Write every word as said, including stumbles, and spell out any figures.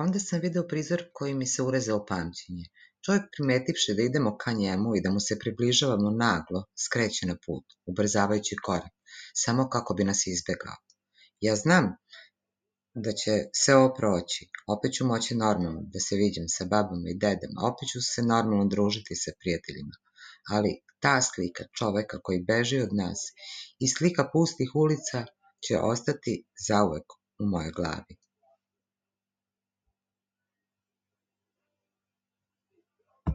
Onda sam video prizor koji mi se urezao pamćenje. Čovjek primetivši da idemo ka njemu i da mu se približavamo naglo, skreće na put, ubrzavajući korak, samo kako bi nas izbegao. Ja znam da će sve ovo proći, opet ću moći normalno da se viđam sa babama i dedama, opet ću se normalno družiti sa prijateljima, ali ta slika čoveka koji beži od nas i slika pustih ulica će ostati zauvek u mojoj glavi.